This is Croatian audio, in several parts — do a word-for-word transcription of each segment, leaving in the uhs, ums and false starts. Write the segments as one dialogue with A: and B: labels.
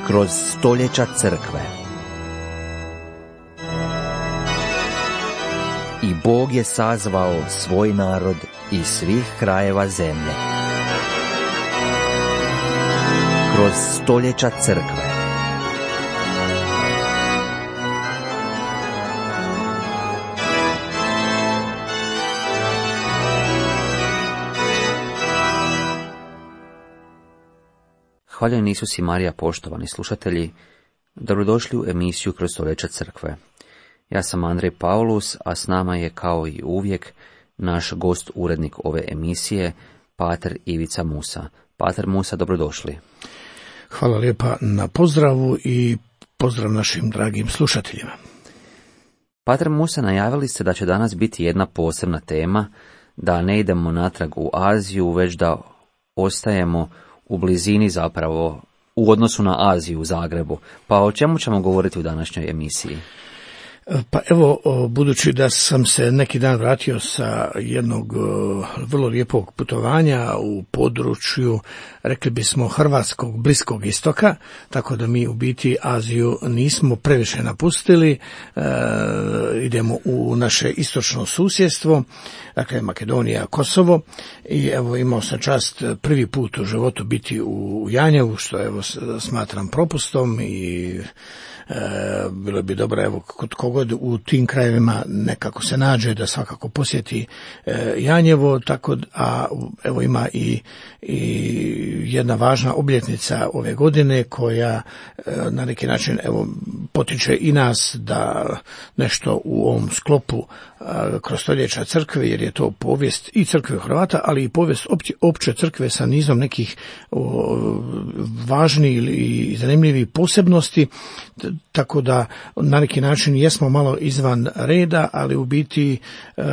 A: kroz stoljeća crkve. I Bog je sazvao svoj narod iz svih krajeva zemlje. Kroz stoljeća crkve.
B: Hvaljen Isus i Marija, poštovani slušatelji, dobrodošli u emisiju Kroz stoljeća crkve. Ja sam Andrej Paulus, a s nama je kao i uvijek naš gost, urednik ove emisije, pater Ivica Musa. Pater Musa, dobrodošli.
C: Hvala lijepa na pozdravu i pozdrav našim dragim slušateljima.
B: Pater Musa, najavili ste da će danas biti jedna posebna tema, da ne idemo natrag u Aziju, već da ostajemo u blizini zapravo, u odnosu na Aziju u Zagrebu. Pa o čemu ćemo govoriti u današnjoj emisiji?
C: Pa evo, budući da sam se neki dan vratio sa jednog vrlo lijepog putovanja u području, rekli bismo, Hrvatskog Bliskog istoka, tako da mi u biti Aziju nismo previše napustili, e, idemo u naše istočno susjedstvo, dakle Makedonija, Kosovo, i evo imao sam čast prvi put u životu biti u Janjevu, što evo smatram propustom i E, bilo bi dobro, evo, kod kogod u tim krajevima nekako se nađe da svakako posjeti e, Janjevo, tako, a evo ima i, i jedna važna obljetnica ove godine koja e, na neki način evo potiče i nas da nešto u ovom sklopu e, kroz stoljeća crkve, jer je to povijest i crkve Hrvata, ali i povijest opće, opće crkve sa nizom nekih o, važnih i zanimljivih posebnosti, tako da na neki način jesmo malo izvan reda, ali u biti e,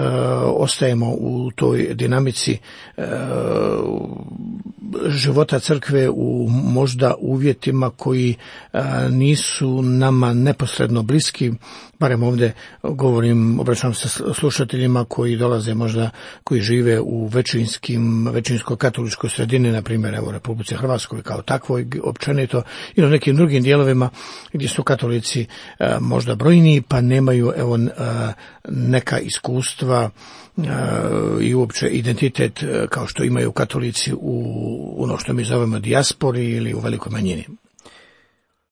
C: ostajemo u toj dinamici e, života crkve u možda uvjetima koji e, nisu nama neposredno bliski, barem ovdje govorim, obraćam se slušateljima koji dolaze možda, koji žive u većinskim, većinskoj katoličkoj sredini, na primjer evo Republici Hrvatskoj kao takvoj općenito, i na nekim drugim dijelovima gdje su katolici e, možda brojniji, pa nemaju evo e, neka iskustva e, i uopće identitet e, kao što imaju katolici u ono što mi zovemo dijaspori ili u velikoj manjini.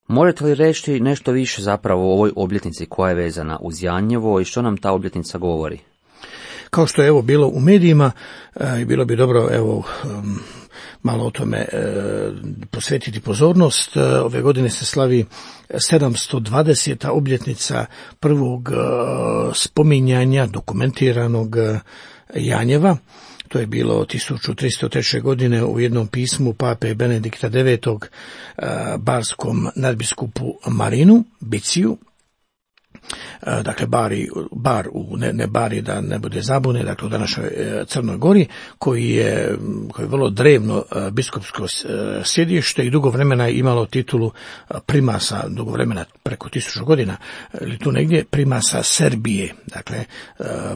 B: Možete li reći nešto više zapravo o ovoj obljetnici koja je vezana uz Janjevo i što nam ta obljetnica govori?
C: Kao što je evo bilo u medijima, e, bilo bi dobro evo um, malo o tome e, posvetiti pozornost. E, ove godine se slavi sedamsto dvadeseta obljetnica prvog e, spominjanja dokumentiranog e, Janjeva. To je bilo tisuću tristo treće. godine u jednom pismu pape Benedikta devetog. barskom nadbiskupu Marinu Biciju. Dakle, bari, bar u, ne, ne bari da ne bude zabune, dakle u današnjoj Crnoj Gori, koji je, koji je vrlo drevno biskupsko sjedište i dugo vremena je imalo titulu primasa, dugo vremena, preko tisuću godina, ili tu negdje, primasa Srbije, dakle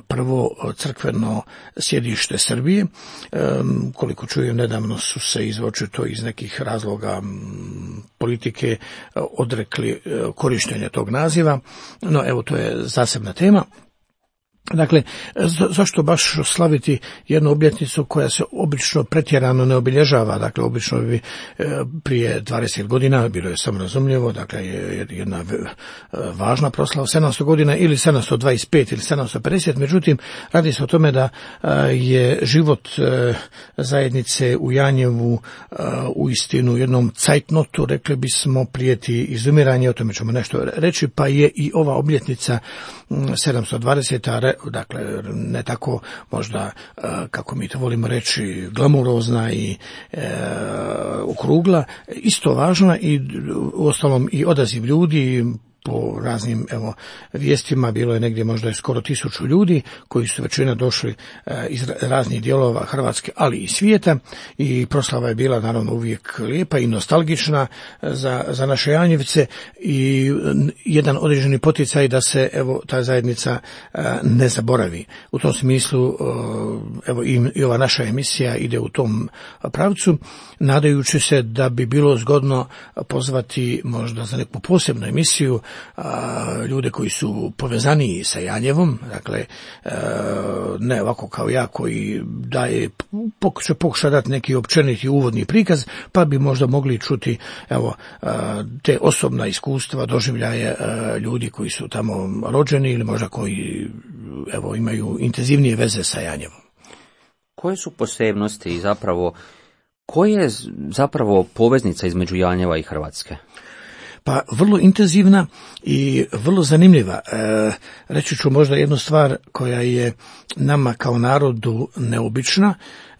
C: prvo crkveno sjedište Srbije. Koliko čujem, nedavno su se izvočito iz nekih razloga politike odrekli korištenja tog naziva, no evo to je zasebna tema. Dakle, zašto baš slaviti jednu obljetnicu koja se obično pretjerano ne obilježava? Dakle, obično bi prije dvadeset godina, bilo je samo razumljivo, dakle, jedna važna proslava, sedamsto godina ili sedamsto dvadeset pet ili sedamsto pedeset, međutim, radi se o tome da je život zajednice u Janjevu uistinu jednom cajtnotu, rekli bismo, prijeti izumiranje, o tome ćemo nešto reći, pa je i ova obljetnica sedamsto dvadeseta, dakle ne tako možda kako mi to volimo reći glamurozna i e, okrugla, isto važna i uostalom i odaziv ljudi, po raznim evo vijestima bilo je negdje možda je skoro tisuću ljudi koji su većina došli iz raznih dijelova Hrvatske, ali i svijeta, i proslava je bila naravno uvijek lijepa i nostalgična za, za naše Janjevce i jedan određeni poticaj da se evo ta zajednica ne zaboravi. U tom smislu evo i, i ova naša emisija ide u tom pravcu, nadajući se da bi bilo zgodno pozvati možda za neku posebnu emisiju a, ljude koji su povezaniji sa Janjevom, dakle a, ne ovako kao ja koji daje pokuša, pokuša dati neki općeniti uvodni prikaz, pa bi možda mogli čuti evo a, te osobna iskustva, doživljaje a, ljudi koji su tamo rođeni ili možda koji evo imaju intenzivnije veze sa Janjevom.
B: Koje su posebnosti i zapravo koja je zapravo poveznica između Janjeva i Hrvatske?
C: Pa vrlo intenzivna i vrlo zanimljiva. E, reći ću možda jednu stvar koja je nama kao narodu neobična,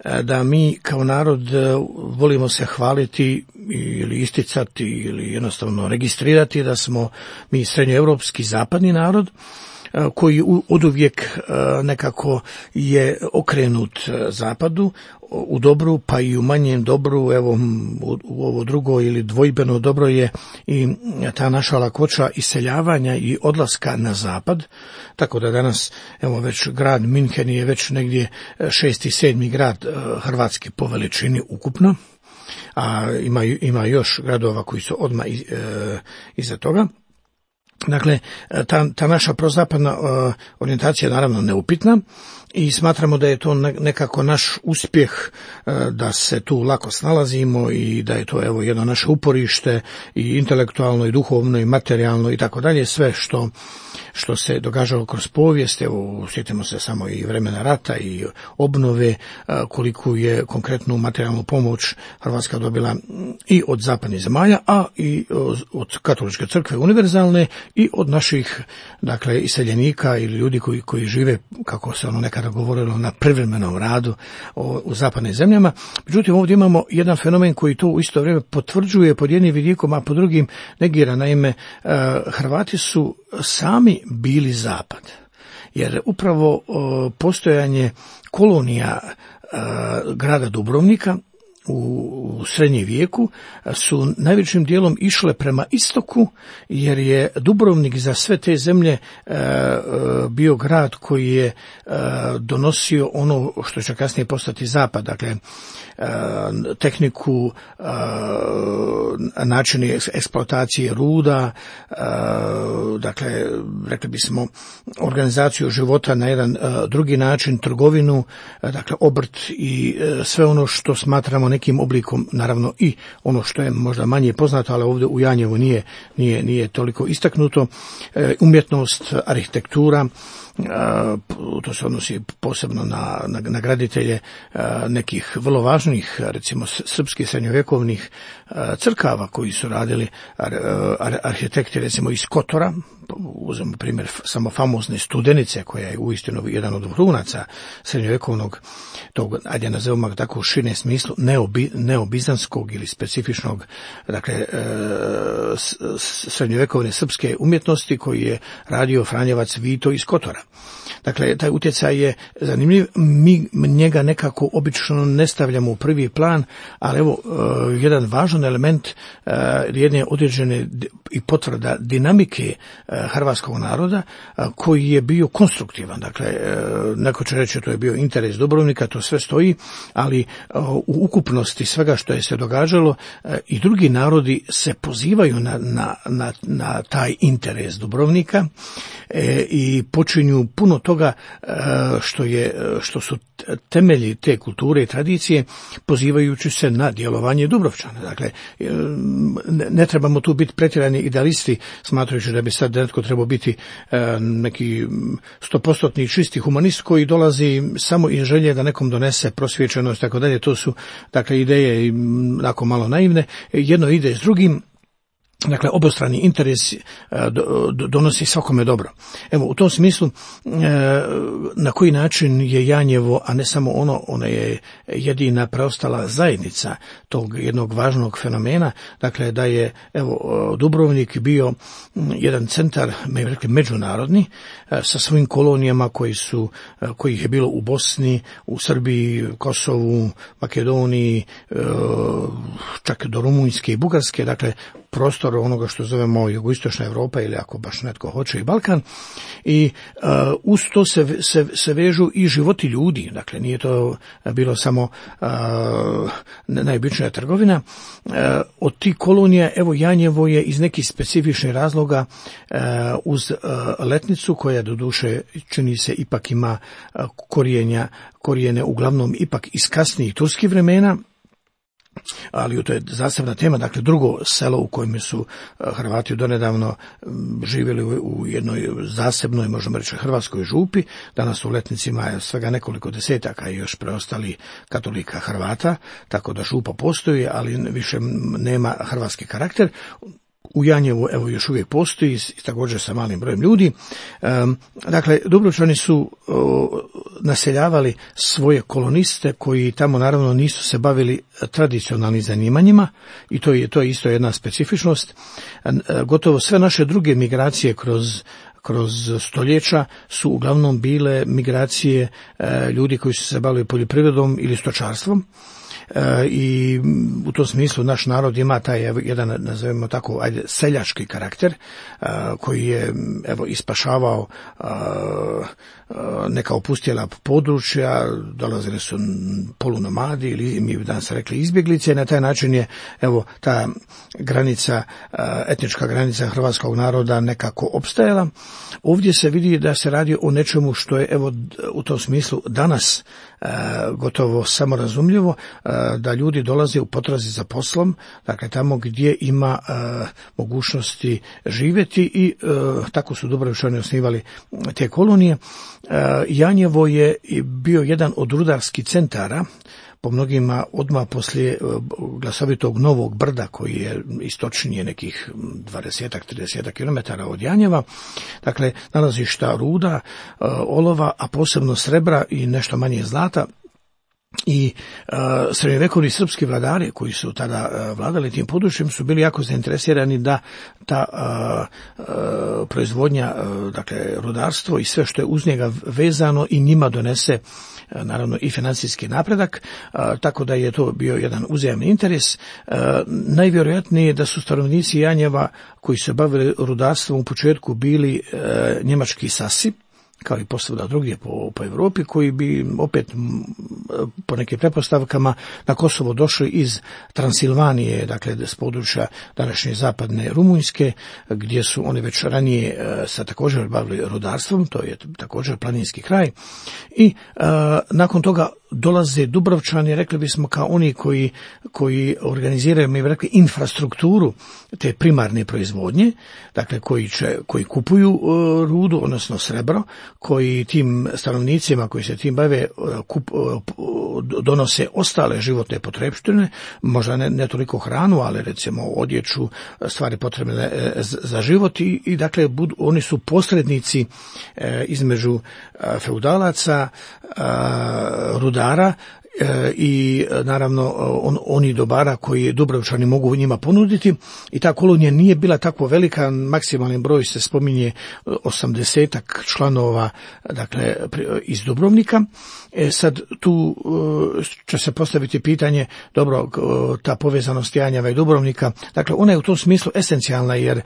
C: e, da mi kao narod e, volimo se hvaliti ili isticati ili jednostavno registrirati da smo mi srednjoevropski zapadni narod, koji oduvijek nekako je okrenut zapadu u dobru, pa i u manjem dobru. Evo u ovo drugo ili dvojbeno dobro je i ta naša lakoća iseljavanja i odlaska na zapad, tako da danas evo već grad Minhen je već negdje šesti, sedmi grad Hrvatske po veličini ukupno, a ima, ima još gradova koji su odmah iz, e, iza toga. Dakle, ta, ta naša prozapadna uh, orijentacija je naravno neupitna i smatramo da je to nekako naš uspjeh, uh, da se tu lako snalazimo i da je to evo jedno naše uporište i intelektualno i duhovno i materijalno i tako dalje, sve što što se događalo kroz povijest. Evo, sjetimo se samo i vremena rata i obnove, koliko je konkretnu materijalnu pomoć Hrvatska dobila i od zapadnih zemalja, a i od katoličke crkve univerzalne i od naših, dakle, iseljenika ili ljudi koji, koji žive, kako se ono nekada govorilo, na privremenom radu u zapadnim zemljama. Međutim, ovdje imamo jedan fenomen koji to u isto vrijeme potvrđuje pod jednim vidikom, a pod drugim negira. Naime, Hrvati su sami bili zapad, jer upravo postojanje kolonija grada Dubrovnika u srednjem vijeku su najvećim dijelom išle prema istoku, jer je Dubrovnik za sve te zemlje bio grad koji je donosio ono što će kasnije postati zapad, dakle tehniku, načini eksploatacije ruda, dakle rekli bismo organizaciju života na jedan drugi način, trgovinu, dakle obrt i sve ono što smatramo nekim oblikom, naravno i ono što je možda manje poznato, ali ovdje u Janjevu nije, nije, nije toliko istaknuto, umjetnost, arhitektura. To se odnosi posebno na, na, na graditelje nekih vrlo važnih, recimo srpskih srednjovjekovnih crkava koji su radili arhitekti, recimo iz Kotora. Uzmemo primjer samo famozne Studenice, koja je uistinu jedan od vrhunaca srednjovjekovnog, tog, ajde nazovimo tako u širem smislu, neobi, neobizanskog ili specifičnog, dakle, srednjovjekovne srpske umjetnosti, koji je radio Franjevac Vito iz Kotora. Dakle, taj utjecaj je zanimljiv, mi njega nekako obično ne stavljamo u prvi plan, ali evo, jedan važan element jedne određene i potvrda dinamike hrvatskog naroda, koji je bio konstruktivan. Dakle, neko će reći to je bio interes Dubrovnika, to sve stoji, ali u ukupnosti svega što je se događalo i drugi narodi se pozivaju na, na, na, na taj interes Dubrovnika i počinju puno toga što je, što su temelji te kulture i tradicije, pozivajući se na djelovanje Dubrovčana. Dakle, ne trebamo tu biti pretjerani idealisti, smatrajući da bi sad netko trebao biti neki stopostotni čisti humanist koji dolazi samo iz želje da nekom donese prosvjećenost, tako dalje. To su, dakle, ideje onako malo naivne. Jedno ide s drugim. Dakle, obostrani interes donosi svakome dobro. Evo, u tom smislu, na koji način je Janjevo, a ne samo ono, ona je jedina preostala zajednica tog jednog važnog fenomena, dakle, da je, evo, Dubrovnik bio jedan centar, mi bi rekli, međunarodni, sa svojim kolonijama koji su, kojih je bilo u Bosni, u Srbiji, Kosovu, Makedoniji, čak do Rumunjske i Bugarske, dakle, prostor onoga što zovemo jugoistočna Europa ili ako baš netko hoće i Balkan, i uh, uz to se, se, se vežu i životi ljudi, dakle nije to bilo samo uh, najobičnija trgovina. Uh, od tih kolonija, evo, Janjevo je iz nekih specifičnih razloga uh, uz uh, Letnicu, koja doduše čini se ipak ima uh, korijenja, korijene uglavnom ipak iz kasnijih turskih vremena, ali to je zasebna tema, dakle drugo selo u kojem su Hrvati donedavno živjeli u jednoj zasebnoj, možemo reći, hrvatskoj župi. Danas u Letnicima je svega nekoliko desetaka i još preostali katolika Hrvata, tako da župa postoji, ali više nema hrvatski karakter. U Janjevu, evo, još uvijek postoji, također sa malim brojem ljudi. Um, dakle, Dubrovčani su uh, naseljavali svoje koloniste koji tamo naravno nisu se bavili tradicionalnim zanimanjima, i to je, to je isto jedna specifičnost. Uh, gotovo sve naše druge migracije kroz kroz stoljeća su uglavnom bile migracije uh, ljudi koji su se bavili poljoprivredom ili stočarstvom. E, i u tom smislu naš narod ima taj jedan, nazovimo tako, ajde, seljački karakter, a, koji je, evo, ispašavao a, a, neka opustjela područja, dolazili su polunomadi ili mi bi danas rekli izbjeglice, i na taj način je, evo, ta granica, a, etnička granica hrvatskog naroda nekako opstajala. Ovdje se vidi da se radi o nečemu što je, evo, u tom smislu danas a, gotovo samorazumljivo, a, da ljudi dolaze u potrazi za poslom, dakle tamo gdje ima uh, mogućnosti živjeti, i uh, tako su Dubrovčani osnivali te kolonije. Uh, Janjevo je bio jedan od rudarskih centara, po mnogima odmah poslije glasovitog Novog Brda, koji je istočnije nekih dvadesetak do trideset kilometara od Janjeva. Dakle, nalazišta ruda, uh, olova, a posebno srebra i nešto manje zlata. I uh, srednjovjekovni srpski vladari koji su tada uh, vladali tim područjem su bili jako zainteresirani da ta uh, uh, proizvodnja, uh, dakle rudarstvo i sve što je uz njega vezano i njima donese uh, naravno i financijski napredak, uh, tako da je to bio jedan uzajamni interes. Uh, najvjerojatnije je da su stanovnici Janjeva koji se bavili rudarstvom u početku bili uh, njemački sasi, kao i posvuda drugdje po, po Europi, koji bi opet po nekim pretpostavkama na Kosovo došli iz Transilvanije, dakle s područja današnje zapadne Rumunjske, gdje su oni već ranije uh, se također bavili rudarstvom, to je također planinski kraj, i uh, nakon toga dolaze Dubrovčani, rekli bismo, kao oni koji, koji organiziraju, mi bi rekli, infrastrukturu te primarne proizvodnje, dakle koji, će, koji kupuju uh, rudu, odnosno srebro, koji tim stanovnicima koji se tim bave uh, kup, uh, donose ostale životne potrepštine, možda ne, ne toliko hranu, ali recimo odjeću, stvari potrebne uh, za život, i, i dakle budu, oni su posrednici uh, između uh, feudalaca, uh, rudara e, i naravno on, oni dobara koji Dubrovčani mogu njima ponuditi, i ta kolonija nije bila tako velika, maksimalni broj se spominje osamdesetak članova, dakle iz Dubrovnika. E, sad tu e, će se postaviti pitanje, dobro, ta povezanost Janjeva i Dubrovnika, dakle ona je u tom smislu esencijalna, jer e,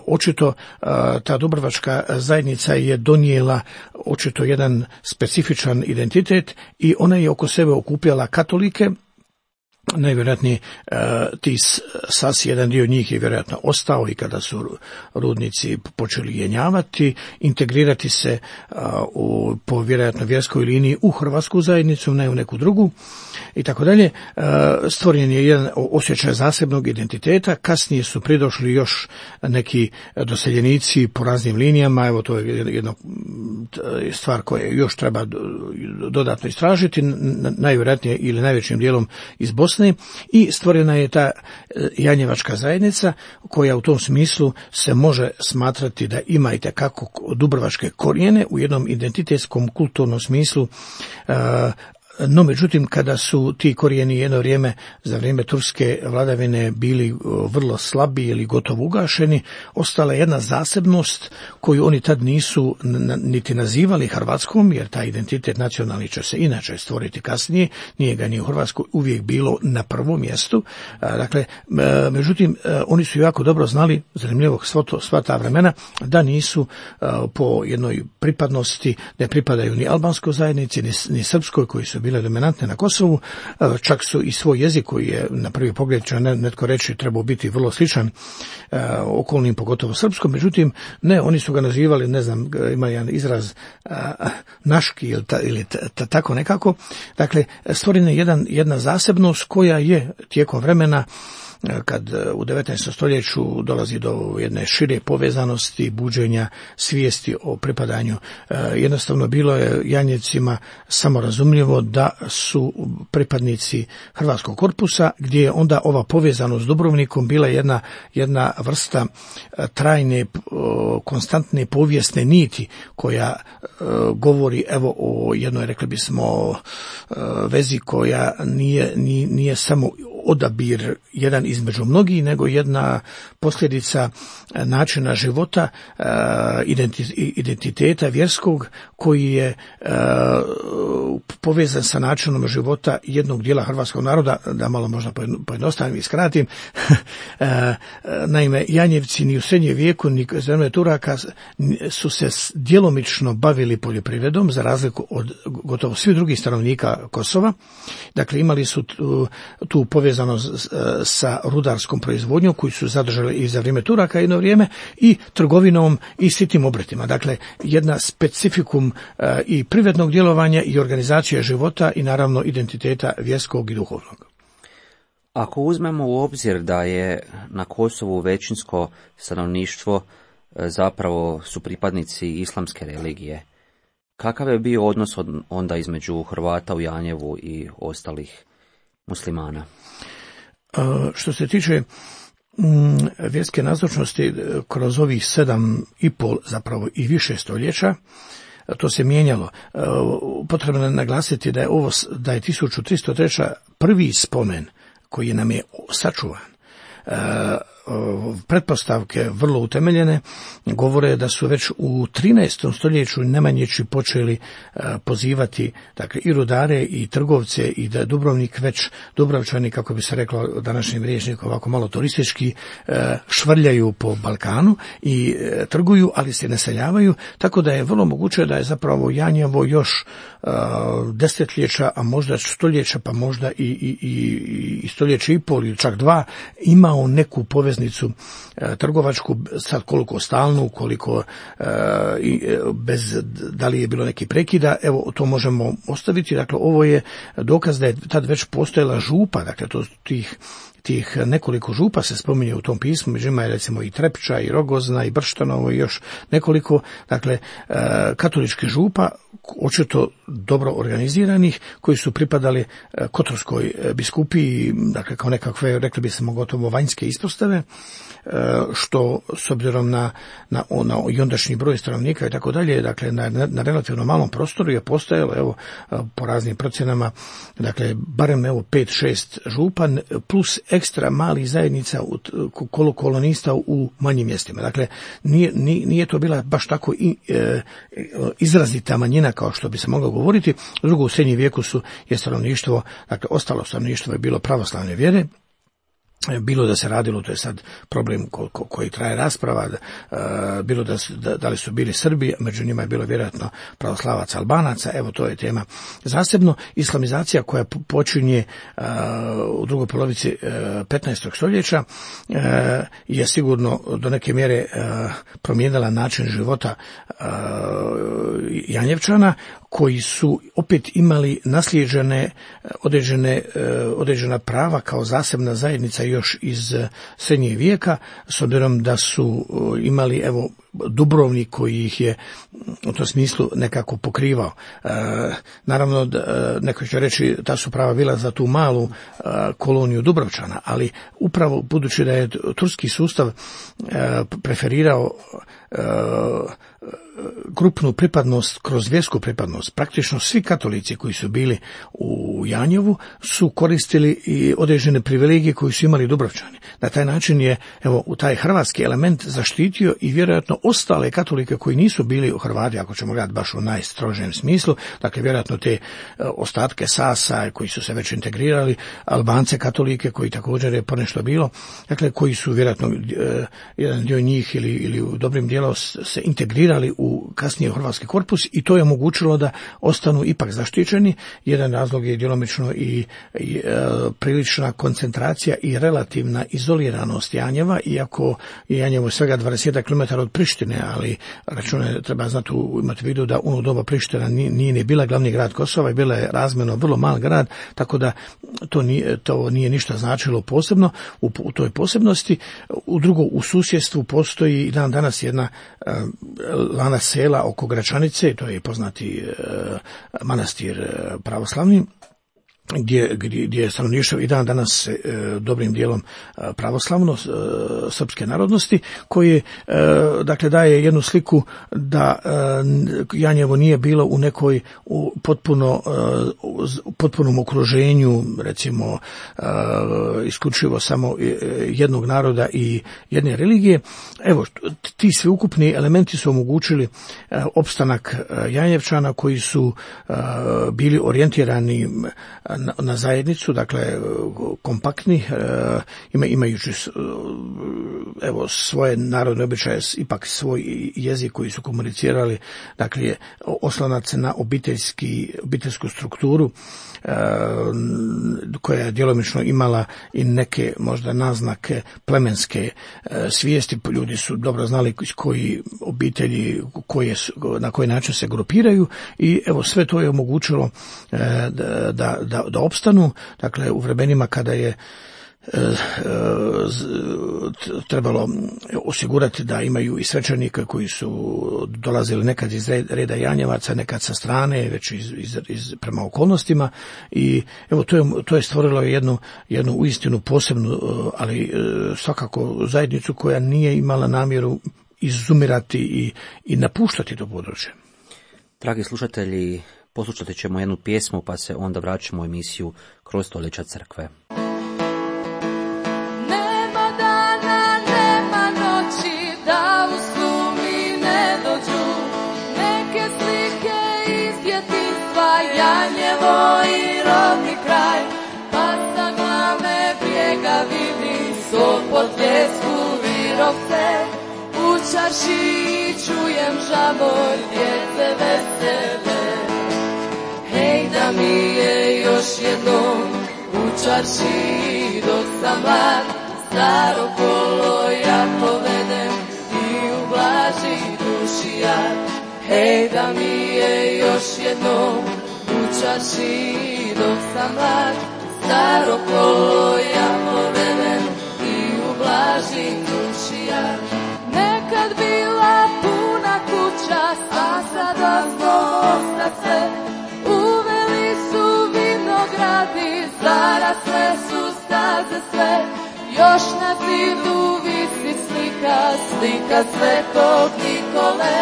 C: očito e, ta dubrovačka zajednica je donijela očito jedan specifičan identitet i ona je oko sebe okupljala katolike. Najvjerojatnije ti sasi, jedan dio njih je vjerojatno ostao i kada su rudnici počeli jenjavati, integrirati se u, po vjerojatno vjerskoj liniji u hrvatsku zajednicu, ne u neku drugu i tako dalje. Stvoren je jedan osjećaj zasebnog identiteta, kasnije su pridošli još neki doseljenici po raznim linijama, evo to je jedno stvar koja još treba dodatno istražiti, najvjerojatnije ili najvećim dijelom iz Bosne, i stvorena je ta janjevačka zajednica koja u tom smislu se može smatrati da ima i tekako dubrovačke korijene u jednom identitetskom kulturnom smislu. No, međutim, kada su ti korijeni jedno vrijeme, za vrijeme turske vladavine, bili vrlo slabi ili gotovo ugašeni, ostala je jedna zasebnost koju oni tad nisu niti nazivali Hrvatskom, jer taj identitet nacionalni će se inače stvoriti kasnije, nije ga ni u Hrvatskoj uvijek bilo na prvom mjestu. Dakle, međutim, oni su jako dobro znali, zanimljivo sva ta vremena, da nisu po jednoj pripadnosti, ne pripadaju ni albanskoj zajednici, ni, ni srpskoj, koji su bile dominantne na Kosovu, čak su i svoj jezik, koji je na prvi pogled, će netko reći, trebao biti vrlo sličan uh, okolnim, pogotovo srpskom, međutim ne, oni su ga nazivali, ne znam, ima jedan izraz uh, naški ili, ta, ili ta, ta, tako nekako. Dakle, stvorena je jedan, jedna zasebnost koja je tijekom vremena, kad u devetnaestom stoljeću dolazi do jedne šire povezanosti, buđenja svijesti o pripadanju, jednostavno bilo je Janjevcima samorazumljivo da su pripadnici Hrvatskog korpusa, gdje je onda ova povezanost s Dubrovnikom bila jedna, jedna vrsta trajne, konstantne povijesne niti koja govori, evo, o jednoj, rekli bismo, vezi koja nije, nije, nije samo odabir jedan između mnogih, nego jedna posljedica načina života, identiteta vjerskog, koji je povezan sa načinom života jednog dijela hrvatskog naroda. Da malo možda pojednostavim i skratim. Naime, Janjevci ni u srednjem vijeku ni za vrijeme Turaka su se djelomično bavili poljoprivredom, za razliku od gotovo svih drugih stanovnika Kosova. Dakle, imali su tu, tu povezanost sa rudarskom proizvodnjom koju su zadržali i za vrijeme Turaka jedno vrijeme, i trgovinom i sitnim obrtima. Dakle, jedna specifikum i privrednog djelovanja i organizacije života i naravno identiteta vjerskog i duhovnog.
B: Ako uzmemo u obzir da je na Kosovu većinsko stanovništvo zapravo su pripadnici islamske religije, kakav je bio odnos onda između Hrvata u Janjevu i ostalih muslimana?
C: Što se tiče vjerske nazočnosti kroz ovih sedam i pol, zapravo i više stoljeća, to se mijenjalo. Potrebno je naglasiti da je ovo, da je tisuću tristo treći prvi spomen koji nam je sačuvan. Pretpostavke vrlo utemeljene govore da su već u trinaestom stoljeću Nemanjići počeli pozivati, dakle, i rudare i trgovce, i da Dubrovnik već, Dubrovčani, kako bi se reklo današnjim rječnikom, ovako malo turistički, švrljaju po Balkanu i trguju, ali se ne seljavaju, tako da je vrlo moguće da je zapravo Janjevo još desetljeća, a možda stoljeća, pa možda i, i, i stoljeća i pol ili čak dva, imao neku poveznicu e, trgovačku, sad koliko stalnu, koliko e, bez, da li je bilo neki prekida, evo, to možemo ostaviti. Dakle, ovo je dokaz da je tad već postojala župa, dakle, to tih tih nekoliko župa se spominje u tom pismu, među njima je recimo i Trepča, i Rogozna, i Brštanovo, i još nekoliko, dakle, katoličkih župa, očito dobro organiziranih, koji su pripadali Kotorskoj biskupiji, dakle, kao nekakve, rekli bi se, gotovo vanjske ispostave, što s obzirom na, na, na i ondašnji broj stanovnika i tako dalje, dakle, na, na relativno malom prostoru je postojalo, evo, po raznim procjenama, dakle, barem evo pet šest župa, plus ekstra malih zajednica kolo kolonista u manjim mjestima. Dakle, nije, nije to bila baš tako i, e, izrazita manjina kao što bi se moglo govoriti. Drugo, u srednjem vijeku su je stanovništvo, dakle, ostalo stanovništvo je bilo pravoslavne vjere. Bilo da se radilo, to je sad problem ko, ko, koji traje rasprava, da, bilo da, da, da li su bili Srbi, među njima je bilo vjerojatno pravoslavaca, Albanaca, evo, to je tema zasebno. Islamizacija koja počinje uh, u drugoj polovici uh, petnaestog stoljeća uh, je sigurno do neke mjere uh, promijenila način života uh, Janjevčana, koji su opet imali naslijeđene određene, određena prava kao zasebna zajednica još iz srednjeg vijeka, s obzirom da su imali, evo, Dubrovnik koji ih je u tom smislu nekako pokrivao. E, naravno, da, neko će reći ta su prava bila za tu malu a, koloniju Dubrovčana, ali upravo budući da je turski sustav a, preferirao a, grupnu pripadnost kroz vjersku pripadnost, praktično svi katolici koji su bili u Janjevu su koristili i određene privilegije koji su imali Dubrovčani. Na taj način je, evo, u taj hrvatski element zaštitio i vjerojatno ostale katolike koji nisu bili u Hrvati, ako ćemo gledati baš u najstrožem smislu, dakle vjerojatno te ostatke Sasa koji su se već integrirali, Albance katolike koji također je ponešto bilo, dakle koji su vjerojatno jedan dio njih ili, ili u dobrim dijelom se integrirali u u kasnije hrvatski korpus i to je omogućilo da ostanu ipak zaštićeni. Jedan razlog je djelomično i, i e, prilična koncentracija i relativna izoliranost Janjeva, iako je Janjevo svega dvadeset kilometara od Prištine, ali račune treba znati, imati u vidu da u ono doba Priština nije, nije ni bila glavni grad Kosova i bila je razmjerno vrlo mal grad, tako da to nije, to nije ništa značilo posebno u, u toj posebnosti. U drugo, u susjedstvu postoji i dan danas jedna e, lana sela oko Gračanice, to je poznati e, manastir e, pravoslavni, gdje, gdje, gdje je stanovništvo i dan danas e, dobrim dijelom e, pravoslavno e, srpske narodnosti, koji e, dakle daje jednu sliku da e, Janjevo nije bilo u nekoj u potpuno e, u potpunom okruženju, recimo e, isključivo samo jednog naroda i jedne religije. Evo, ti sveukupni elementi su omogućili e, opstanak e, Janjevčana koji su e, bili orijentirani Na, na zajednicu, dakle kompaktni, e, ima, imajući evo svoje narodne običaje, ipak svoj jezik koji su komunicirali, dakle oslonac na obiteljski, obiteljsku strukturu e, koja je djelomično imala i neke možda naznake plemenske e, svijesti. Ljudi su dobro znali koji obitelji, koje, na koji način se grupiraju i evo sve to je omogućilo e, da, da, da da opstanu, dakle u vremenima kada je e, e, trebalo osigurati da imaju i svećenike koji su dolazili nekad iz reda Janjevaca, nekad sa strane, već iz, iz, iz prema okolnostima i evo to je, to je stvorilo jednu, jednu uistinu posebnu, ali svakako zajednicu koja nije imala namjeru izumirati i, i napuštati to područje.
B: Dragi slušatelji, poslušati ćemo jednu pjesmu pa se onda vraćamo u emisiju Kroz stoljeća crkve.
D: Nema dana, nema noći da u snu mi ne dođu neke slike iz djetinjstva, Janjevo i rodni kraj, pa sa glave brijega vidim Sopot, Ljesku, Virovce, u čaršiji čujem žabor djece vesele. Hej, da mi je još jednom u čaršiji dok sam mlad, staro kolo ja povedem i ublaži duši jad. Hej, da mi je još jednom u čaršiji dok sam mlad, staro kolo ja povedem i ublaži duši jad. Nekad bila puna kuća, sva sad ostalo sve, uveli su vinogradi, zarasle su staze sve, još na zidu visi slika, slika Svetog Nikole,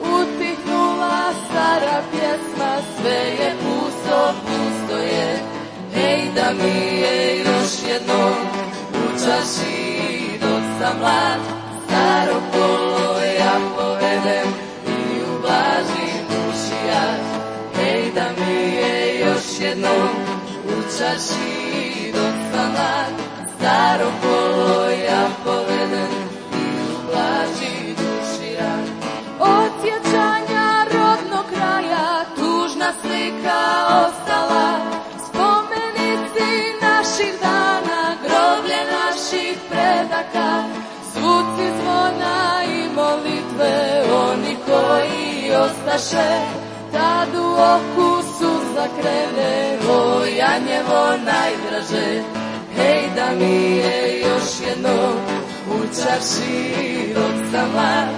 D: utihnula stara pjesma, sve je pusto, pusto je. Hej, da mi je još jednom u čaši dok sam mlad, staro kolo ja povedem i ublažim duši jad. Hej, da mi je još jednom u čaši dok sam mlad, staro kolo ja povedem i ublažim duši jad. Od sjećanja rodnog kraja tužna slika ostala, spomenici naših dana, groblje naših predaka, zvuci zvona i molitve, oni koji ostaše, tad u oku suza krene, o Janjevo najdraže. Hej, da mi je još jednom u čarši dok sam mlad,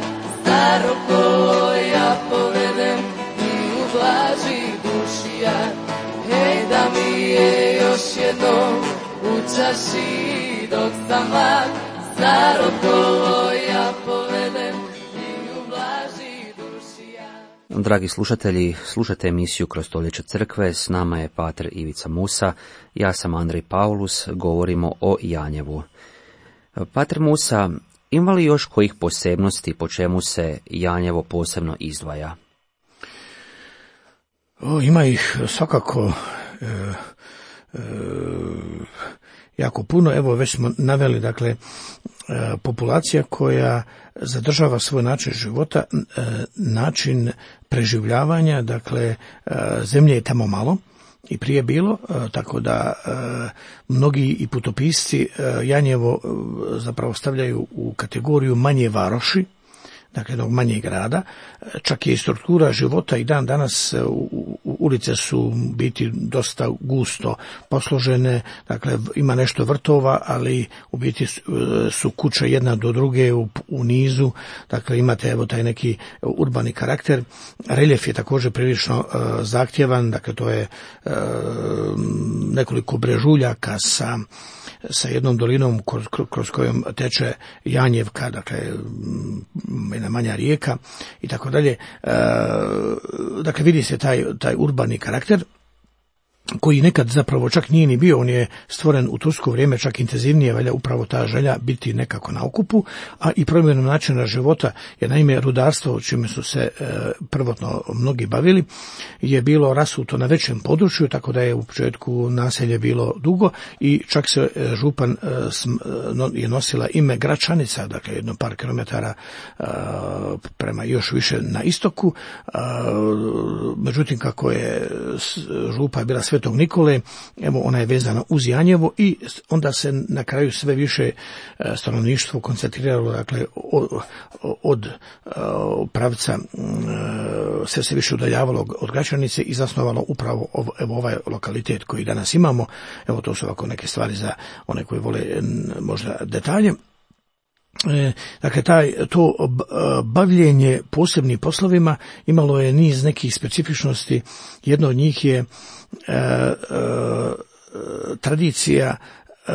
D: za roko ja povedem i ublaži dušija. Hej, da mi je još jednom u čaši dok sam mlad, za roko ja povedem i ublaži dušija.
B: Dragi slušatelji, slušate emisiju Kroz stoljeća crkve, s nama je pater Ivica Musa, ja sam Andrej Paulus, govorimo o Janjevu. Pater Musa, ima li još kojih posebnosti po čemu se Janjevo posebno izdvaja?
C: O, ima ih svakako e, e, jako puno. Evo, već smo naveli, dakle, e, populacija koja zadržava svoj način života, e, način preživljavanja, dakle, e, zemlje je tamo malo i prije bilo, tako da e, mnogi i putopisci e, Janjevo e, zapravo stavljaju u kategoriju manje varoši, dakle jednog manjeg grada. Čak je i struktura života i dan danas u, u, ulice su biti dosta gusto posložene, dakle ima nešto vrtova, ali u biti su, su kuće jedna do druge u, u nizu, dakle imate evo taj neki urbani karakter. Reljef je također prilično uh, zahtjevan, dakle to je uh, nekoliko brežuljaka sa sa jednom dolinom kroz, kroz kojom teče Janjevka, dakle jedna manja rijeka i tako dalje. Dakle, vidi se taj, taj urbani karakter koji nekad zapravo čak nije ni bio, on je stvoren u tursko vrijeme čak intenzivnije, valja upravo ta želja biti nekako na okupu, a i promjenom načina života, jer naime rudarstvo, čime su se e, prvotno mnogi bavili, je bilo rasuto na većem području, tako da je u početku naselje bilo dugo i čak se e, župan e, sm, no, je nosila ime Gračanica, dakle jedno par kilometara e, prema još više na istoku, e, međutim kako je župa bila sve Svetog Nikole, evo ona je vezana uz Janjevo i onda se na kraju sve više stanovništvo koncentriralo, dakle od, od pravca se se više udaljavalo od Gračanice i zasnovalo upravo evo ovaj lokalitet koji danas imamo. Evo to su ovako neke stvari za one koji vole možda detalje. E, dakle, taj, to bavljenje posebnim poslovima imalo je niz nekih specifičnosti. Jedno od njih je e, e, tradicija e,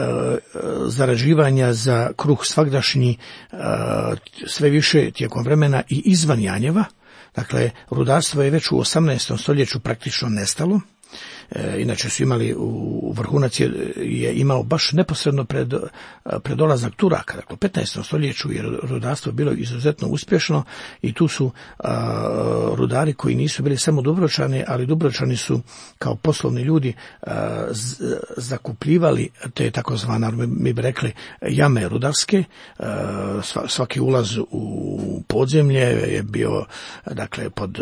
C: zarađivanja za kruh svagdašnji e, sve više tijekom vremena i izvan Janjeva. Dakle, rudarstvo je već u osamnaestom stoljeću praktično nestalo. E, inače su imali, u vrhunac je, je imao baš neposredno pred, pred dolazak Turaka, dakle u petnaestom stoljeću je rudarstvo bilo izuzetno uspješno i tu su a, rudari koji nisu bili samo Dubrovčani, ali Dubrovčani su kao poslovni ljudi a, z, zakupljivali te takozvane, mi bi rekli, jame rudarske. A, svaki ulaz u podzemlje je bio, dakle, pod,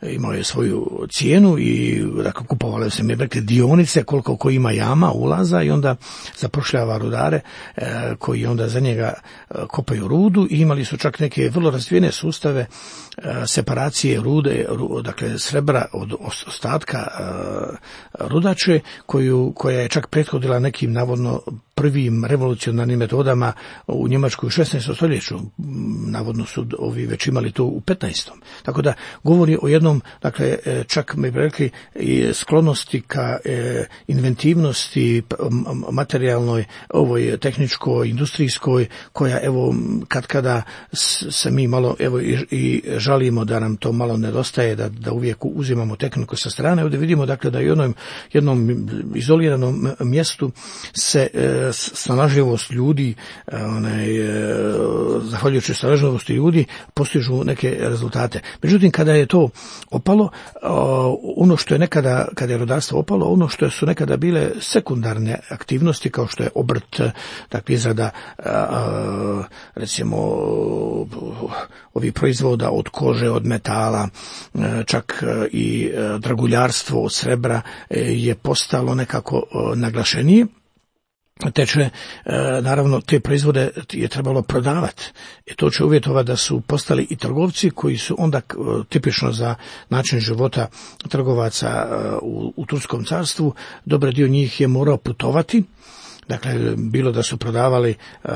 C: imao je svoju cijenu i dakle kupovali se, mi rekli, dionice koliko ko ima jama, ulaza i onda zapošljava rudare e, koji onda za njega e, kopaju rudu i imali su čak neke vrlo razvijene sustave e, separacije rude, ru, dakle srebra od ostatka e, rudače koju, koja je čak prethodila nekim navodno prvim revolucionarnim metodama u Njemačkoj u šesnaestom stoljeću. Navodno su ovi već imali to u petnaestom. Tako da govori o jednom, dakle, čak mi bi rekli, sklonosti ka e, inventivnosti materijalnoj, ovoj tehničkoj, industrijskoj, koja evo kad kada se mi malo evo i, i žalimo da nam to malo nedostaje, da, da uvijek uzimamo tehniku sa strane. Ovdje vidimo, dakle, da u jednom, jednom izoliranom mjestu se e, snalažljivost ljudi, onaj, zahvaljujući snalažljivosti ljudi, postižu neke rezultate. Međutim, kada je to opalo, ono što je nekada, kada je rudarstvo opalo, ono što su nekada bile sekundarne aktivnosti, kao što je obrt, dakle izrada, recimo, ovih proizvoda od kože, od metala, čak i draguljarstvo od srebra je postalo nekako naglašenije. Teče, naravno, te proizvode je trebalo prodavati. I to će uvjetovati da su postali i trgovci koji su onda tipično za način života trgovaca u, u Turskom carstvu. Dobar dio njih je morao putovati. dakle, bilo da su prodavali uh,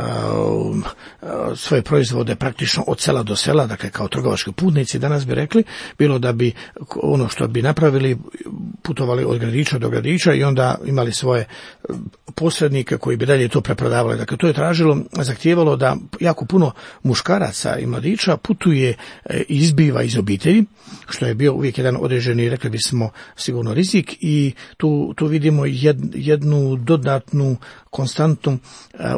C: svoje proizvode praktično od sela do sela, dakle, kao trgovački putnici, danas bi rekli, bilo da bi ono što bi napravili, putovali od gradića do gradića i onda imali svoje posrednike koji bi dalje to preprodavali. Dakle, to je tražilo, zahtijevalo da jako puno muškaraca i mladića putuje i izbiva iz obitelji, što je bio uvijek jedan određeni, rekli bismo, sigurno rizik, i tu, tu vidimo jed, jednu dodatnu konstantu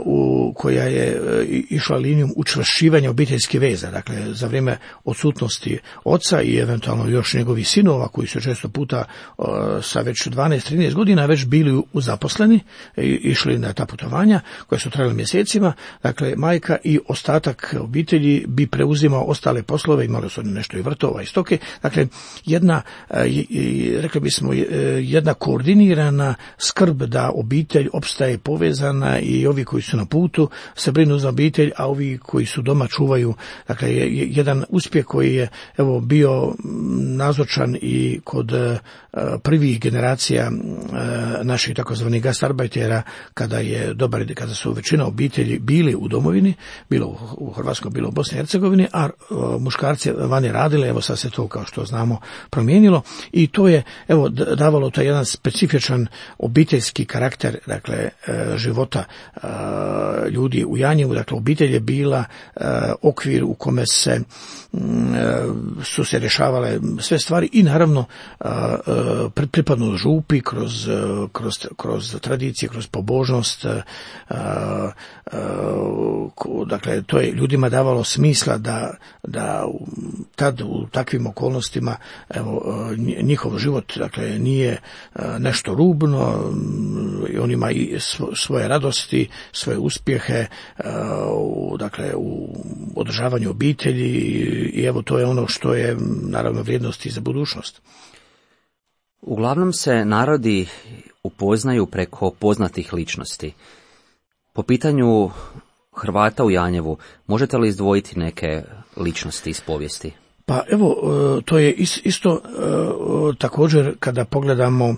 C: u, koja je išla linijom učvršćivanja obiteljskih veza. Dakle, za vrijeme odsutnosti oca i eventualno još njegovih sinova, koji su često puta sa već dvanaest trinaest godina već bili uzaposleni i išli na ta putovanja koja su trajala mjesecima, dakle, majka i ostatak obitelji bi preuzimao ostale poslove, imali su nešto i vrtova i stoke. Dakle, jedna, rekli bismo, jedna koordinirana skrb da obitelj opstaje povezana i ovi koji su na putu se brinu za obitelj, a ovi koji su doma čuvaju. Dakle, jedan uspjeh koji je, evo, bio nazočan i kod prvih generacija naših takozvanih gastarbajtera, kada je dobar, kada su većina obitelji bili u domovini, bilo u Hrvatskoj, bilo u Bosni i Hercegovini, a muškarci vani radili. Evo, sad se to, kao što znamo, promijenilo i to je, evo, davalo taj jedan specifičan obiteljski karakter, dakle, života ljudi u Janjevu. Dakle, obitelj je bila okvir u kome se su se rješavale sve stvari i naravno pripadnost župi kroz, kroz, kroz tradicije, kroz pobožnost. Dakle, to je ljudima davalo smisla da, da tad u takvim okolnostima, evo, njihov život, dakle, nije nešto rubno, on ima i svoje radosti, svoje uspjehe, dakle, u održavanju obitelji, i evo, to je ono što je naravno vrijednosti za budućnost.
B: Uglavnom se narodi upoznaju preko poznatih ličnosti. Po pitanju Hrvata u Janjevu, možete li izdvojiti neke ličnosti iz povijesti?
C: Pa evo, to je isto također kada pogledamo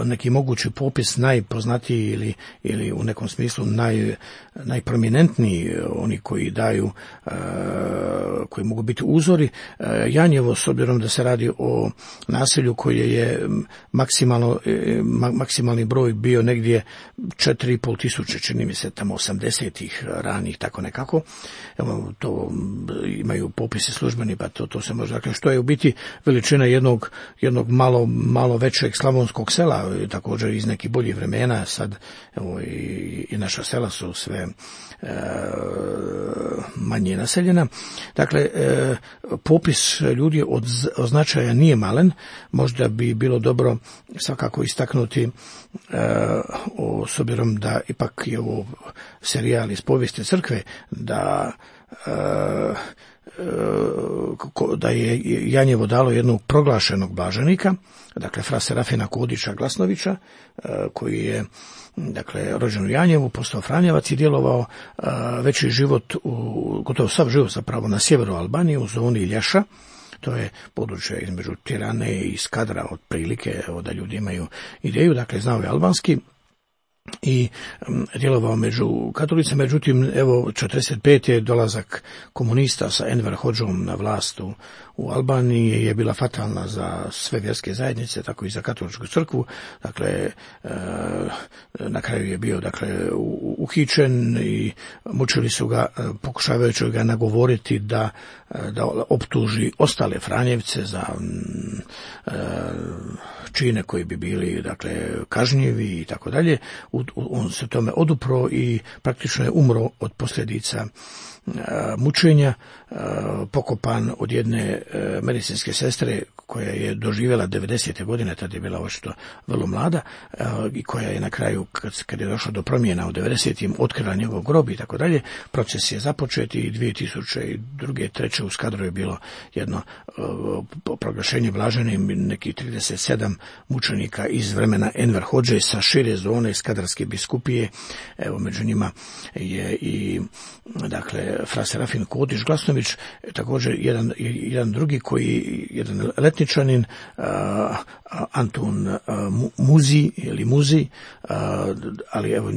C: neki mogući popis najpoznatiji ili, ili u nekom smislu naj, najprominentniji, oni koji daju, koji mogu biti uzori. Janjevo, s obzirom da se radi o naselju koje je maksimalno, maksimalni broj bio negdje četiri i pol tisuće, čini mi se tamo osamdesetih ranih, tako nekako. Evo, to imaju popisi službeni, pa to, to se može, dakle, što je u biti veličina jednog, jednog malo, malo većeg slavonskog sela, također iz nekih boljih vremena. Sad, evo, i, i naša sela su sve e, manje naseljena. Dakle, e, popis ljudi od, od značaja nije malen. Možda bi bilo dobro svakako istaknuti, e, o, s obzirom da ipak je ovo serijal iz povijesti crkve, da e, da je Janjevo dalo jednog proglašenog blaženika, dakle fra Serafina Kodića Glasnovića, koji je, dakle, rođen u Janjevu, postao franjevac i djelovao veći život, u, gotovo sav život zapravo na sjeveru Albanije, u zoni Lješa. To je područje između Tirane i Skadra, otprilike, evo, da ljudi imaju ideju. Dakle, znao je albanski i djelovao među katolicima. Međutim, evo, četrdeset pete je dolazak komunista sa Enver Hodžom na vlast u, u Albaniji je bila fatalna za sve vjerske zajednice, tako i za katoličku crkvu. Dakle, e, na kraju je bio, dakle, uhićen i mučili su ga, pokušavajući ga nagovoriti da, da optuži ostale Franjevce za e, čine koji bi bili, dakle, kažnjivi i tako dalje. On se tome odupro i praktično je umro od posljedica mučenja, pokopan od jedne medicinske sestre koja je doživjela devedesete godine, tada je bila očito vrlo mlada, i koja je na kraju, kad, kad je došlo do promjena u devedesetim, otkrila njegov grob i tako dalje. Proces je započet i dvije tisuće druge. treće u Skadru je bilo jedno proglašenje blaženim nekih trideset sedam mučenika iz vremena Enver Hodže sa šire zone Skadarske biskupije. Evo, među njima je i dakle fra Serafin Kodiš Glasnović, također jedan, jedan drugi koji, jedan letničanin, a, Antun a, Muzi ili Muzi, a, ali evo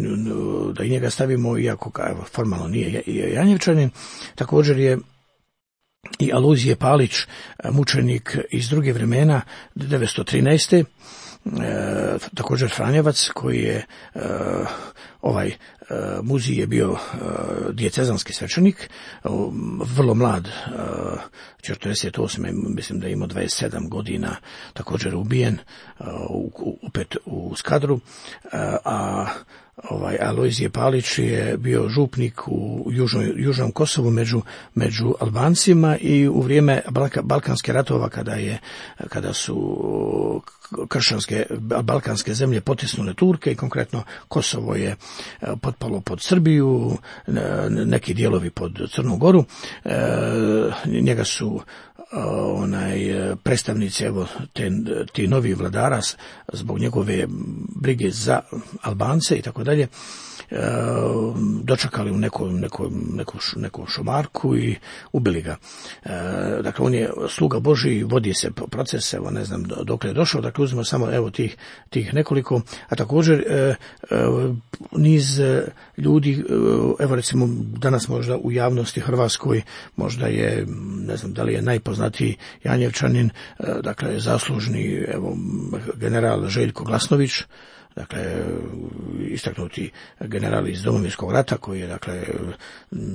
C: da i njega stavimo, iako evo, formalno nije Janjevčanin. Također je i Alojzije Palić, mučenik iz druge vremena, devetsto trinaeste. E, također Franjevac, koji je e, ovaj e, Muzi je bio e, dijecezanski svećenik, e, vrlo mlad, e, četrdeset osme mislim da je imao dvadeset sedam godina, također ubijen e, u, opet u Skadru, e, a ovaj Alojzije Palić je bio župnik u južnoj, južnom Kosovu među, među Albancima i u vrijeme Balka, Balkanske ratova, kada je kada su kršćanske balkanske zemlje potisnule Turke i konkretno Kosovo je potpalo pod Srbiju, neki dijelovi pod Crnu Goru. Njega su onaj predstavnici evo te, ti novi vladara zbog njegove brige za Albance i tako dalje dočekali u nekom neko, neko, neku šumarku i ubili ga. E, dakle, on je sluga Božji, vodi se proces, evo ne znam dokle je došao, dakle uzmemo samo evo tih, tih nekoliko, a također e, e, niz ljudi, evo recimo danas možda u javnosti hrvatskoj, možda je, ne znam da li je najpoznatiji Janjevčanin, e, dakle zaslužni evo general Željko Glasnović, dakle istaknuti general iz Domovinskog rata koji je, dakle,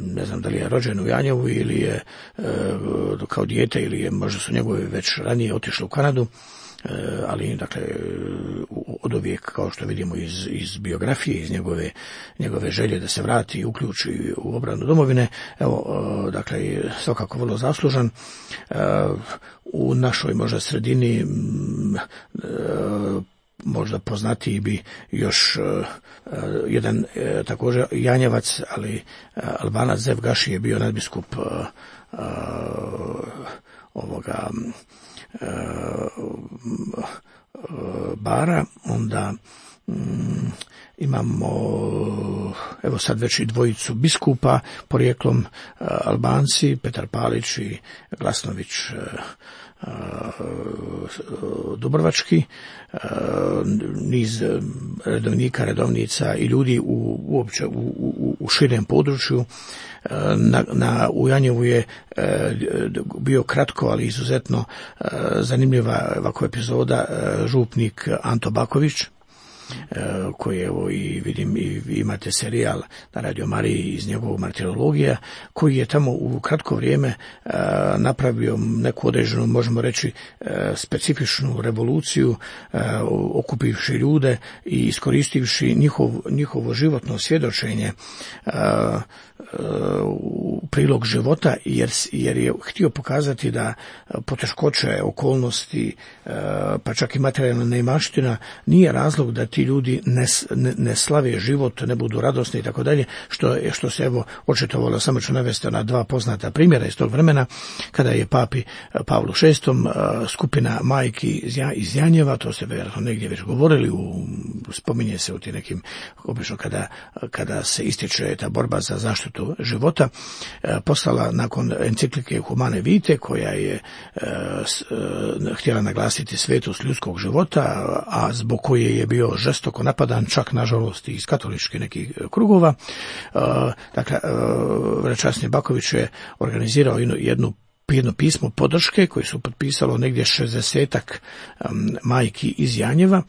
C: ne znam da li je rođen u Janjevu ili je e, kao dijete ili je, možda su njegove već ranije otišli u Kanadu, e, ali dakle oduvijek, kao što vidimo iz, iz biografije, iz njegove, njegove želje da se vrati i uključi u obranu domovine, evo, e, dakle svakako vrlo zaslužan. E, u našoj možda sredini e, možda poznatiji bi još uh, jedan uh, također Janjevac, ali uh, Albanac Zev Gaši je bio nadbiskup uh, uh, ovoga uh, uh, Bara. Onda um, imamo evo sad već i dvojicu biskupa porijeklom uh, Albanci, Petar Palić i Glasnović uh, Dubrovački, niz redovnika, redovnica i ljudi u, uopće u, u, u širem području. Na, na, u Janjevu je bio kratko, ali izuzetno zanimljiva ovakva epizoda župnik Anto Baković, koji evo i vidim i imate serijal na Radio Mariji iz njegovog martirologija, koji je tamo u kratko vrijeme napravio neku određenu, možemo reći, specifičnu revoluciju, okupivši ljude i iskoristivši njihov, njihovo životno svjedočenje u prilog života, jer, jer je htio pokazati da poteškoće, okolnosti, pa čak i materijalna neimaština nije razlog da ti ljudi ne, ne, ne slave život, ne budu radosni i tako dalje, što, što se evo očitovalo. Samo ću navesti na dva poznata primjera iz tog vremena, kada je papi Pavlu šestom skupina majki iz Janjeva, to ste vjerojatno negdje već govorili, u, spominje se u tim nekim, obično kada, kada se ističe ta borba za zaštitu života, poslala nakon enciklike Humane Vitae, koja je e, s, e, htjela naglasiti svetost ljudskog života, a zbog koje je bio žestoko napadan, čak nažalost iz katoličkih nekih krugova. E, dakle, e, Vrečasni Baković je organizirao jednu, jednu jedno pismo podrške koje su potpisalo negdje šezdesetak um, majki iz Janjeva,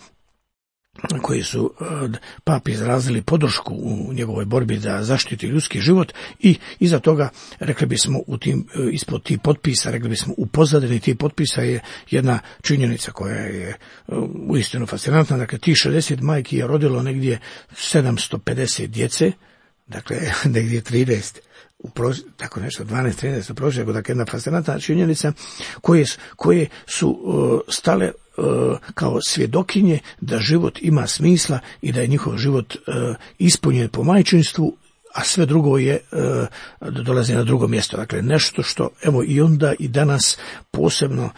C: koji su uh, papi izrazili podršku u njegovoj borbi da zaštiti ljudski život, i iza toga, rekli bismo, u tim, uh, ispod tih potpisa, rekli bismo u pozadini tih potpisa je jedna činjenica koja je uh, uistinu fascinantna. Dakle, tih šezdeset majki je rodilo negdje sedamsto pedeset djece, dakle negdje trideset u proš, tako nešto, dvanaest trinaest u prosjeku, dakle jedna fascinantna činjenica, koje, koje su uh, stale uh, kao svjedokinje da život ima smisla i da je njihov život uh, ispunjen po majčinstvu, a sve drugo je dolazi na drugo mjesto. Dakle, nešto što evo i onda i danas posebno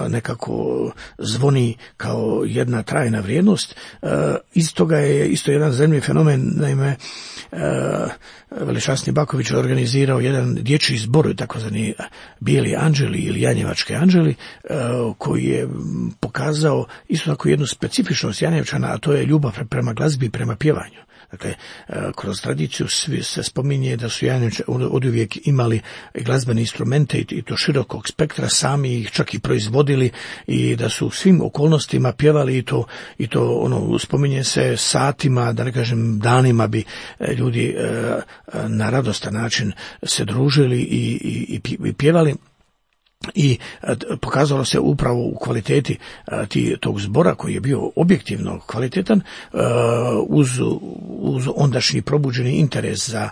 C: nekako zvoni kao jedna trajna vrijednost. Iz toga je isto jedan zanimljiv fenomen, naime Veličasni Baković organizirao jedan dječji zbor, takozvani Bijeli anđeli ili Janjevački anđeli, koji je pokazao isto tako jednu specifičnost Janjevčana, a to je ljubav prema glazbi i prema pjevanju. Dakle, kroz tradiciju svi se spominje da su Janjevčani oduvijek imali glazbene instrumente i to širokog spektra, sami ih čak i proizvodili i da su u svim okolnostima pjevali i to, i to ono, spominje se satima, da ne kažem danima bi ljudi na radostan način se družili i, i, i pjevali. I pokazalo se upravo u kvaliteti ti, tog zbora koji je bio objektivno kvalitetan uz, uz ondašnji probuđeni interes za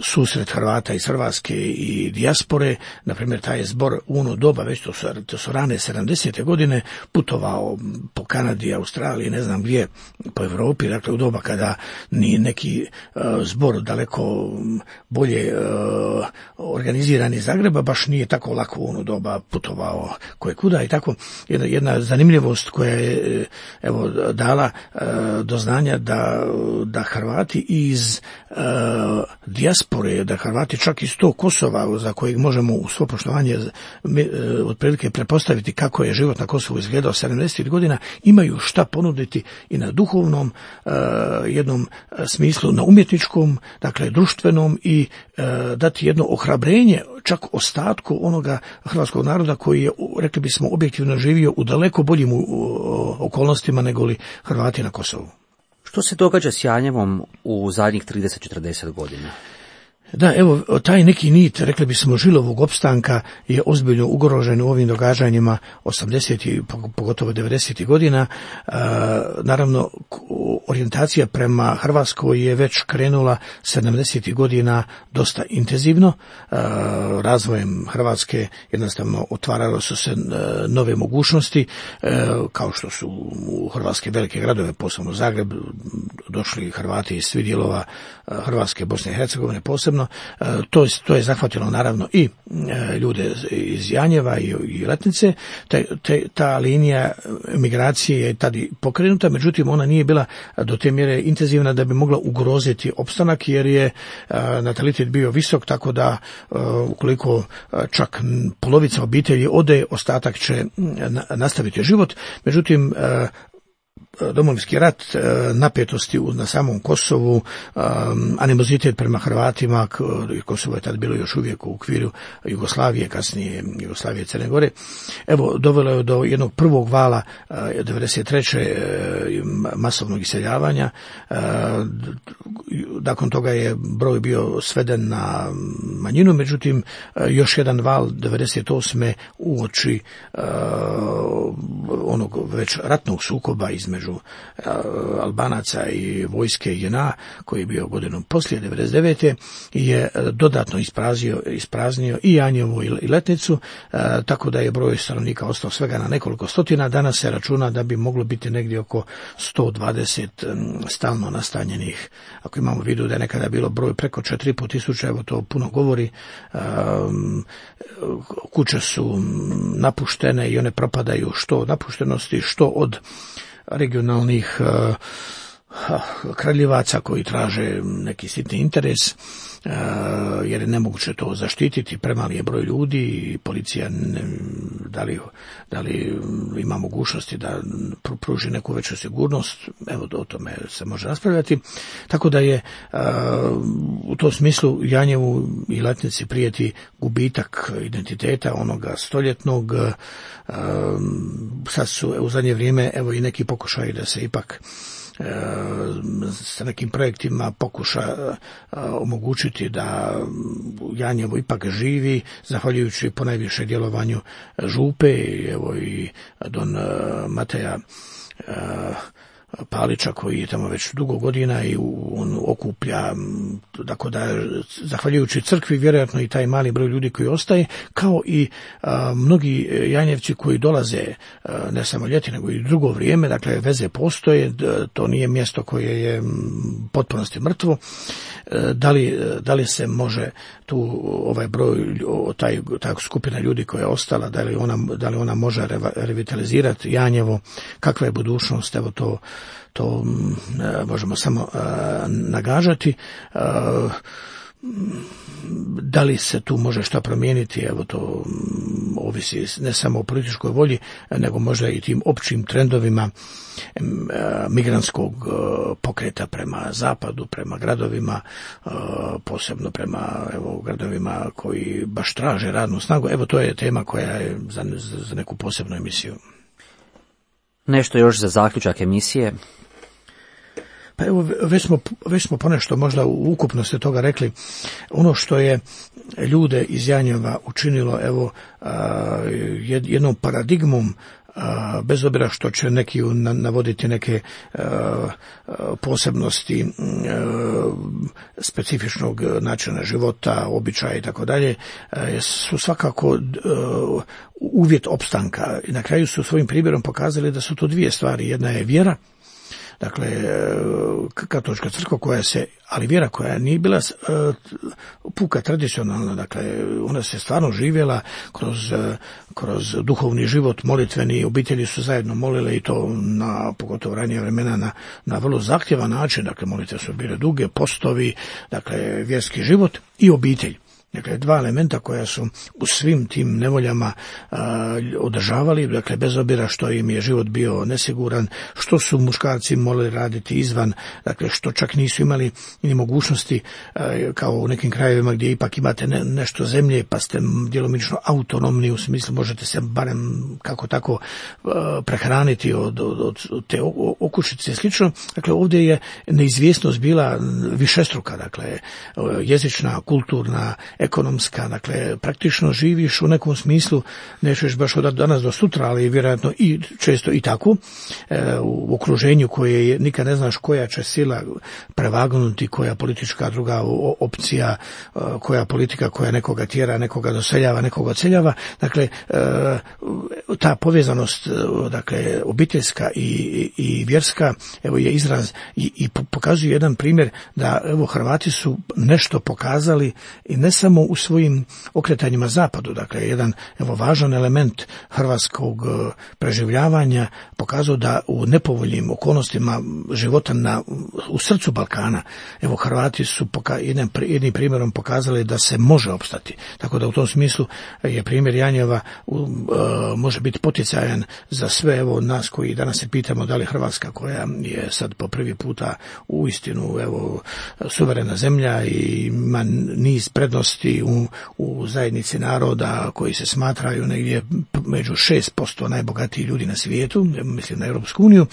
C: susret Hrvata iz Hrvatske i dijaspore. Na primjer, taj je zbor u ono doba, već to su, to su rane sedamdesete godine, putovao po Kanadi, Australiji, ne znam gdje, po Europi, dakle u doba kada ni neki uh, zbor daleko bolje uh, organiziran iz Zagreba, baš nije tako lako u ono doba putovao koje kuda i tako. Jedna, jedna zanimljivost koja je evo dala uh, do znanja da, da Hrvati iz Uh, dijaspore, da Hrvati čak iz tog Kosova, za kojeg možemo u svo poštovanje uh, otprilike prepostaviti kako je život na Kosovu izgledao sedamdesetih godina, imaju šta ponuditi i na duhovnom uh, jednom smislu, na umjetničkom, dakle društvenom, i uh, dati jedno ohrabrenje čak ostatku onoga hrvatskog naroda koji je, rekli bismo, objektivno živio u daleko boljim uh, okolnostima nego li Hrvati na Kosovu.
B: Što se događa s Janjevom u zadnjih trideset do četrdeset godina?
C: Da, evo, taj neki nit, rekli bismo, žilovog opstanka je ozbiljno ugrožen u ovim događanjima osamdesetih, pogotovo devedesetih godina. E, naravno, orijentacija prema Hrvatskoj je već krenula sedamdesetih godina dosta intenzivno. E, razvojem Hrvatske jednostavno otvaralo su se nove mogućnosti, e, kao što su u hrvatske velike gradove, posebno Zagreb, došli Hrvati iz svih dijelova Hrvatske, Bosne i Hercegovine posebno. To je, to je zahvatilo naravno i ljude iz Janjeva i, i Letnice. Te, te, ta linija migracije je tada pokrenuta, međutim ona nije bila do te mjere intenzivna da bi mogla ugroziti opstanak, jer je natalitet bio visok, tako da ukoliko čak polovica obitelji ode, ostatak će nastaviti život. Međutim, Domovinski rat, napetosti na samom Kosovu, animozitet prema Hrvatima, Kosovo je tad bilo još uvijek u okviru Jugoslavije, kasnije Jugoslavije i Crne Gore, evo, dovelo je do jednog prvog vala devedeset treće masovnog iseljavanja. Nakon toga je broj bio sveden na manjinu, međutim još jedan val devedeset osme uoči onog već ratnog sukoba između Albanaca i vojske J N A, koji je bio godinom poslije devedeset devete je dodatno ispraznio, ispraznio i Janjevo i Letnicu, tako da je broj stanovnika ostao svega na nekoliko stotina. Danas se računa da bi moglo biti negdje oko sto dvadeset stalno nastanjenih. Ako imamo u vidu da je nekada bilo broj preko četiri i pol tisuća, evo to puno govori. Kuće su napuštene i one propadaju što od napuštenosti, što od regionalnih uh, kraljevaca koji traže neki sitni interes, uh, jer je nemoguće to zaštititi, premali je broj ljudi i policija ne, da, li, da li ima mogućnosti da pruži neku veću sigurnost, evo o tome se može raspravljati. Tako da je uh, u tom smislu Janjevu i Letnici prijeti gubitak identiteta onoga stoljetnog. Uh, sad su u zadnje vrijeme evo i neki pokušaji da se ipak sa nekim projektima pokuša omogućiti da Janjevo ipak živi, zahvaljujući ponajviše djelovanju župe, evo i don Mateja Palića koji je tamo već dugo godina i on okuplja, tako da zahvaljujući crkvi vjerojatno i taj mali broj ljudi koji ostaje, kao i a, mnogi Janjevci koji dolaze a, ne samo ljeti nego i drugo vrijeme, dakle veze postoje, to nije mjesto koje je potpunosti mrtvo. Da li, da li se može tu ovaj broj, taj, ta skupina ljudi koja je ostala, da li ona, da li ona može revitalizirati Janjevo, kakva je budućnost, evo to, to možemo samo nagađati. Da li se tu može šta promijeniti, evo to ovisi ne samo o političkoj volji, nego možda i tim općim trendovima migrantskog pokreta prema zapadu, prema gradovima, posebno prema evo, gradovima koji baš traže radnu snagu. Evo to je tema koja je za, za neku posebnu emisiju.
B: Nešto još za zaključak emisije.
C: Pa evo, već smo, već smo ponešto možda u ukupnosti toga rekli. Ono što je ljude iz Janjeva učinilo, evo, jednom paradigmom, bez obzira što će neki navoditi neke posebnosti specifičnog načina života, običaja i tako dalje, su svakako uvjet opstanka. I na kraju su svojim primjerom pokazali da su to dvije stvari. Jedna je vjera, dakle, katolička crkva koja se, ali vjera koja nije bila uh, puka tradicionalna, dakle, ona se stvarno živjela kroz, uh, kroz duhovni život, molitveni, obitelji su zajedno molile i to na, pogotovo ranije vremena, na, na vrlo zahtjevan način, dakle, molitve su bile duge, postovi, dakle, vjerski život i obitelj. Dakle, dva elementa koja su u svim tim nevoljama a, održavali, dakle, bez obzira što im je život bio nesiguran, što su muškarci morali raditi izvan, dakle, što čak nisu imali ni mogućnosti, a, kao u nekim krajevima gdje ipak imate ne, nešto zemlje, pa ste djelomično autonomni, u smislu možete se barem kako tako a, prehraniti od, od, od te okućice i slično. Dakle, ovdje je neizvjesnost bila višestruka, dakle, jezična, kulturna, ekonomska, dakle, praktično živiš u nekom smislu, nećeš baš od danas do sutra, ali vjerojatno i često i tako, e, u okruženju koje je, nikad ne znaš koja će sila prevagnuti, koja politička druga opcija, e, koja politika koja nekoga tjera, nekoga doseljava, nekoga odseljava, dakle, e, ta povezanost, dakle, obiteljska i, i, i vjerska, evo je izraz i, i pokazuje jedan primjer da, evo, Hrvati su nešto pokazali i ne samo u svojim okretanjima zapadu, dakle, jedan, evo, važan element hrvatskog preživljavanja pokazao da u nepovoljnim okolnostima života na, u srcu Balkana, evo, Hrvati su poka, jednim, jednim primjerom pokazali da se može opstati. Tako da u tom smislu je primjer Janjeva uh, može biti poticajan za sve, evo, nas koji danas se pitamo da li Hrvatska, koja je sad po prvi puta uistinu, evo, suverena zemlja i ima niz prednosti u, u zajednici naroda koji se smatraju negdje među šest posto najbogatiji ljudi na svijetu, mislim na Europsku uniju,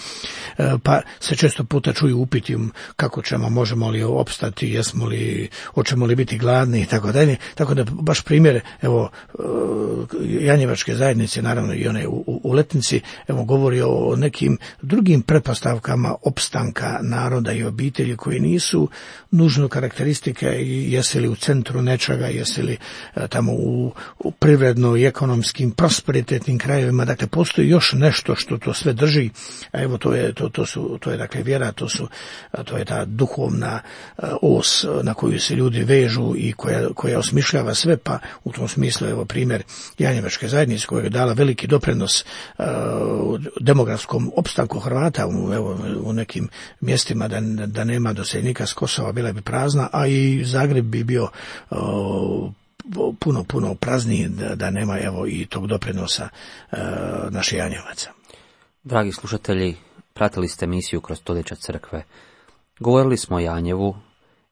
C: pa se često puta čuju upiti kako ćemo, možemo li opstati, jesmo li, hoćemo li biti gladni i tako dalje. Tako da baš primjer, evo, Janjevačke zajednice, naravno i one u, u Letnici, evo, govori o nekim drugim pretpostavkama opstanka naroda i obitelji koji nisu nužno karakteristike jesi li u centru nečega, jesi li tamo u, u privredno i ekonomskim prosperitetnim krajevima, dakle postoji još nešto što to sve drži, a evo to je, to, to su, to je dakle vjera, to su, to je ta duhovna os na koju se ljudi vežu i koja, koja osmišljava sve, pa u tom smislu evo primjer Janjevačke zajednice koja je dala veliki doprinos uh, demografskom opstanku Hrvata u, evo, u nekim mjestima da, da nema doseljenika s Kosova, bila bi prazna, a i Zagreb bi bio uh, puno, puno prazniji da, da nema evo i tog doprinosa uh, naših Janjevaca.
B: Dragi slušatelji, pratili ste emisiju Kroz stoljeća crkve. Govorili smo o Janjevu,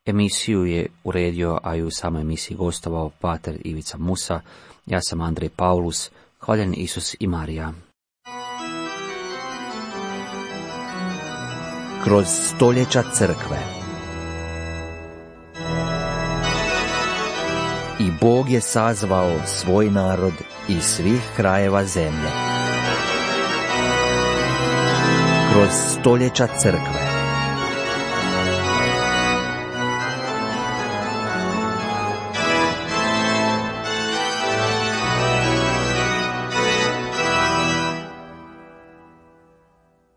B: emisiju je uredio, a i u samoj emisiji gostovao pater Ivica Musa, ja sam Andrej Paulus, hvaljen Isus i Marija.
A: Kroz stoljeća crkve. I Bog je sazvao svoj narod iz svih krajeva zemlje. Kroz kroz stoljeća crkve.